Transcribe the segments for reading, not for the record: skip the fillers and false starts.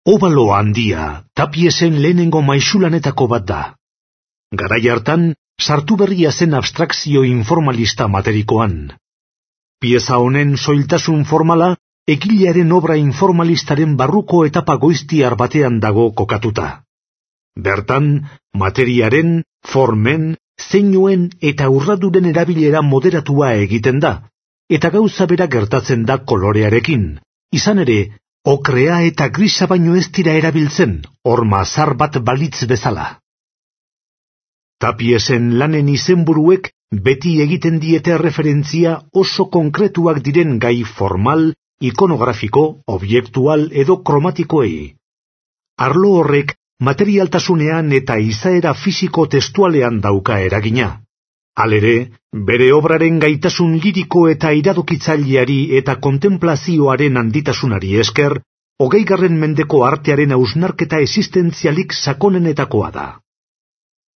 Obalo handia Tapiesen lehenengo maisulanetako bat da. Garai hartan, sartu berria zen abstrakzio informalista materikoan. Pieza honen soiltasun formala, egilearen obra informalistaren barruko etapa goiztiar batean dago kokatuta. Bertan, materiaren, formen, zeinuen eta urraduren erabilera moderatua egiten da, eta gauza bera gertatzen da kolorearekin. Izan ere, okrea eta grisa baino ez dira erabiltzen, horma zar bat balitz bezala. Tapiesen lanen izenburuek beti egiten diete referentzia oso konkretuak diren gai formal, ikonografiko, objektual edo kromatikoei. Arlo horrek materialtasunean eta izaera fisiko testualean dauka eragina. Halere, bere obraren gaitasun liriko eta iradokitzaileari eta kontemplazioaren handitasunari esker, 20. mendeko artearen hausnarketa existentzialik sakonenetakoa da.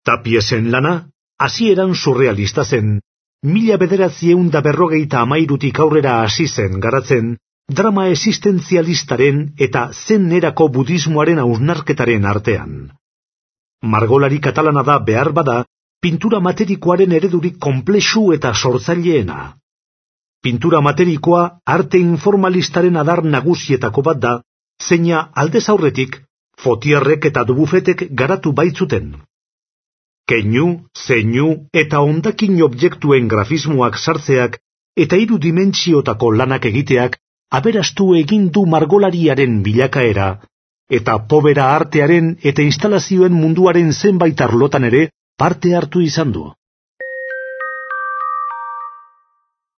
Tapiesen lana, hasieran surrealista zen, 1953 aurrera hasi zen garatzen, drama existentzialistaren eta zen erako budismoaren hausnarketaren artean. Margolari katalana da behar bada, pintura materikoaren eredurik konplexu eta sortzaileena. Pintura materikoa arte informalistaren adar nagusietako bat da, zeina aldez aurretik, Fotierrek eta Dubufetek garatu baitzuten. Keinu, zeinu eta hondakin objektuen grafismoak sartzeak eta 3 dimentsiotako lanak egiteak aberastu egin du margolariaren bilakaera, eta pobera artearen eta instalazioen munduaren zenbait arlotan ere parte hartu izan du.